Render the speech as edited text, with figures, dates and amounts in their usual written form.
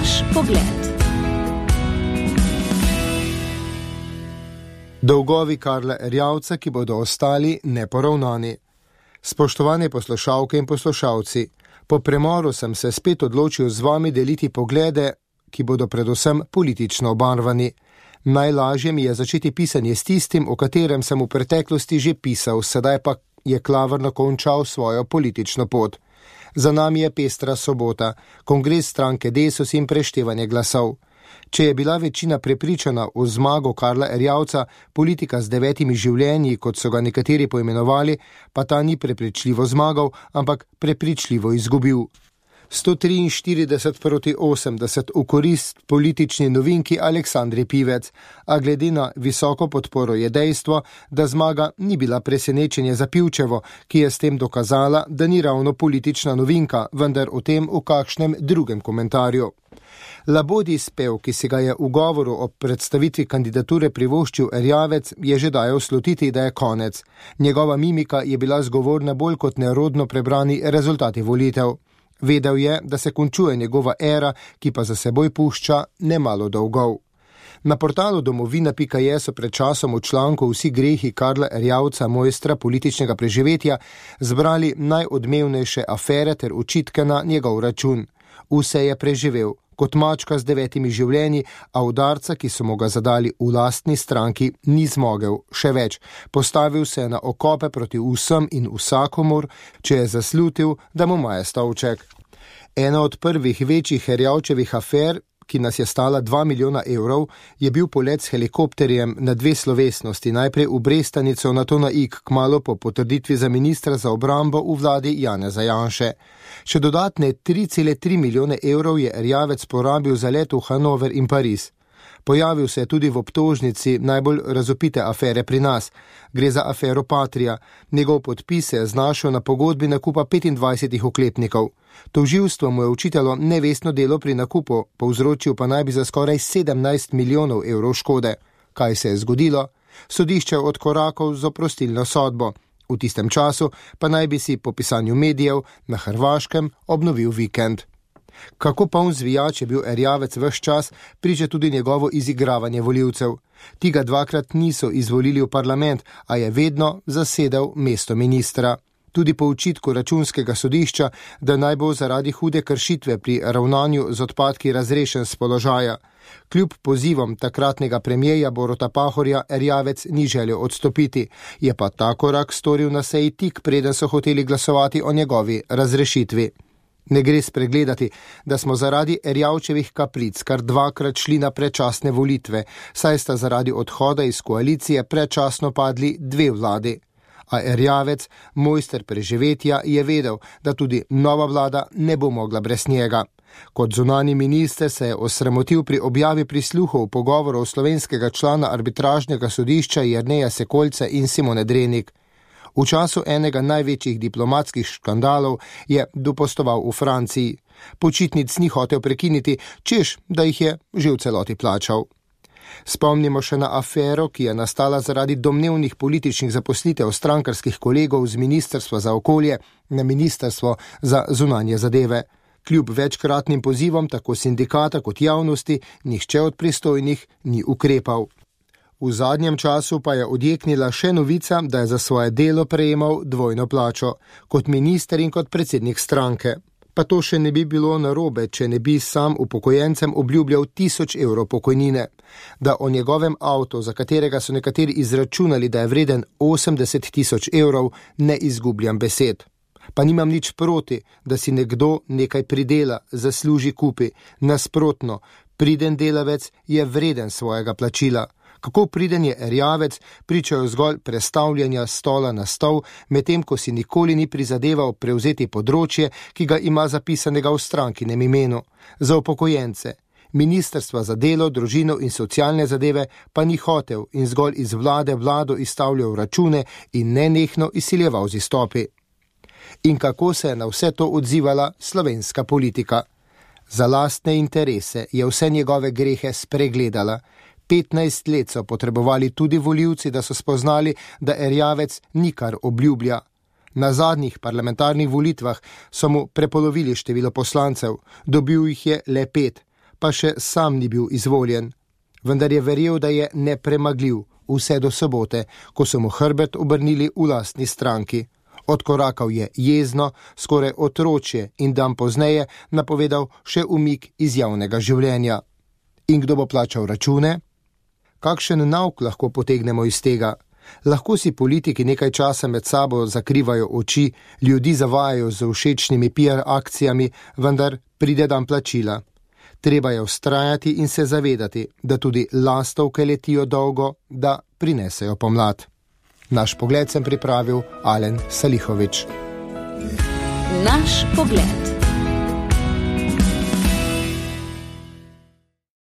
Naš pogled. Dolgovi Karla Erjavca, ki bodo ostali neporavnani. Spoštovane poslušalke in poslušalci, po premoru sem se spet odločil z vami deliti poglede, ki bodo predvsem politično obarvani. Najlažje mi je začeti pisanje s tistim, o katerem sem v preteklosti že pisal, sedaj pa je klavrno končal svojo politično pot. Za nami je pestra sobota, kongres stranke Desus in preštevanje glasov. Če je bila večina prepričana v zmago Karla Erjavca, politika z 9 življenji, kot so ga nekateri poimenovali, pa ta ni prepričljivo zmagal, ampak prepričljivo izgubil. 143 proti 80 v korist politični novinki Aleksandri Pivec, a glede na visoko podporo je dejstvo, da zmaga ni bila presenečenje za Pivčevo, ki je s tem dokazala, da ni ravno politična novinka, vendar o tem v kakšnem drugem komentarju. Labodji spev, ki si ga je v govoru ob predstavitvi kandidature privoščil Erjavec, je že dajal slutiti, da je konec. Njegova mimika je bila zgovorna bolj kot nerodno prebrani rezultati volitev. Vedel je, da se končuje njegova era, ki pa za seboj pušča nemalo dolgov. Na portalu domovina.je so pred časom v članku Vsi grehi Karla Erjavca, mojstra političnega preživetja, zbrali najodmevnejše afere ter očitke na njegov račun. Vse je preživel, kot mačka z 9 življenji, a udarca, ki so mu ga zadali v lastni stranki, ni zmogel. Še več, postavil se na okope proti vsem in vsakomur, če je zaslutil, da mu maje stolček. Ena od prvih večjih Erjavčevih afer, ki nas je stala 2 milijona evrov, je bil polet s helikopterjem na 2 slovesnosti, najprej v Brestanico, nato na Ig, kmalu po potrditvi za ministra za obrambo v vladi Janeza Janše. Še dodatne 3,3 milijone evrov je Erjavec porabil za let v Hanover in Pariz. Pojavil se je tudi v obtožnici najbolj razvpite afere pri nas. Gre za afero Patria. Njegov podpis se je znašel na pogodbi nakupa 25 oklepnikov. Tožilstvo mu je očitalo nevestno delo pri nakupu, povzročil pa naj bi za skoraj 17 milijonov evrov škode. Kaj se je zgodilo? Sodišče je odkorakal z oprostilno sodbo. V tistem času pa naj bi si po pisanju medijev na Hrvaškem obnovil vikend. Kako poln zvijač je bil Erjavec ves čas, priča tudi njegovo izigravanje volivcev. Ti ga 2krat niso izvolili v parlament, a je vedno zasedel mesto ministra. Tudi po očitku računskega sodišča, da naj bo zaradi hude kršitve pri ravnanju z odpadki razrešen s položaja. Kljub pozivom takratnega premijeja Boruta Pahorja Erjavec ni želel odstopiti, je pa ta korak storil na seji tik preden so hoteli glasovati o njegovi razrešitvi. Ne gre spregledati, da smo zaradi Erjavčevih kapric kar 2krat šli na predčasne volitve, saj sta zaradi odhoda iz koalicije predčasno padli 2 vladi. A Erjavec, mojster preživetja, je vedel, da tudi nova vlada ne bo mogla brez njega. Kot zunanji minister se je osramotil pri objavi prisluhov pogovorov slovenskega člana arbitražnega sodišča Jerneja Sekolce in Simone Drenik. V času enega največjih diplomatskih škandalov je dopostoval v Franciji. Počitnic ni hotel prekiniti, češ, da jih je že v celoti plačal. Spomnimo še na afero, ki je nastala zaradi domnevnih političnih zaposlitev strankarskih kolegov z Ministrstva za okolje na Ministrstvo za zunanje zadeve. Kljub večkratnim pozivom tako sindikata kot javnosti, nihče od pristojnih ni ukrepal. V zadnjem času pa je odjeknila še novica, da je za svoje delo prejemal dvojno plačo, kot minister in kot predsednik stranke. Pa to še ne bi bilo narobe, če ne bi sam upokojencem obljubljal 1000 evrov pokojnine. Da o njegovem avtu, za katerega so nekateri izračunali, da je vreden 80 000 evrov, ne izgubljam besed. Pa nimam nič proti, da si nekdo nekaj pridela, zasluži, kupi. Nasprotno, priden delavec je vreden svojega plačila. Kako priden je Erjavec, pričajo zgolj prestavljanja stola na stol, medtem ko si nikoli ni prizadeval prevzeti področje, ki ga ima zapisanega v strankinem imenu. Za upokojence. Ministrstva za delo, družino in socialne zadeve pa ni hotel in zgolj iz vlado izstavljal račune in nenehno izsiljeval z izstopi. In kako se je na vse to odzivala slovenska politika? Za lastne interese je vse njegove grehe spregledala. 15 let so potrebovali tudi volivci, da so spoznali, da Erjavec nikar obljublja. Na zadnjih parlamentarnih volitvah so mu prepolovili število poslancev, dobil jih je le 5. pa še sam ni bil izvoljen. Vendar je verjel, da je nepremagljiv vse do sobote, ko so mu hrbet obrnili v lastni stranki. Odkorakal je jezno, skoraj otročje in dan pozneje napovedal še umik iz javnega življenja. In kdo bo plačal račune? Kakšen nauk lahko potegnemo iz tega? Lahko si politiki nekaj časa med sabo zakrivajo oči, ljudi zavajajo z všečnimi PR akcijami, vendar pride dan plačila. Treba je vztrajati in se zavedati, da tudi lastovke letijo dolgo, da prinesejo pomlad. Naš pogled sem pripravil Alen Salihovič. Naš pogled.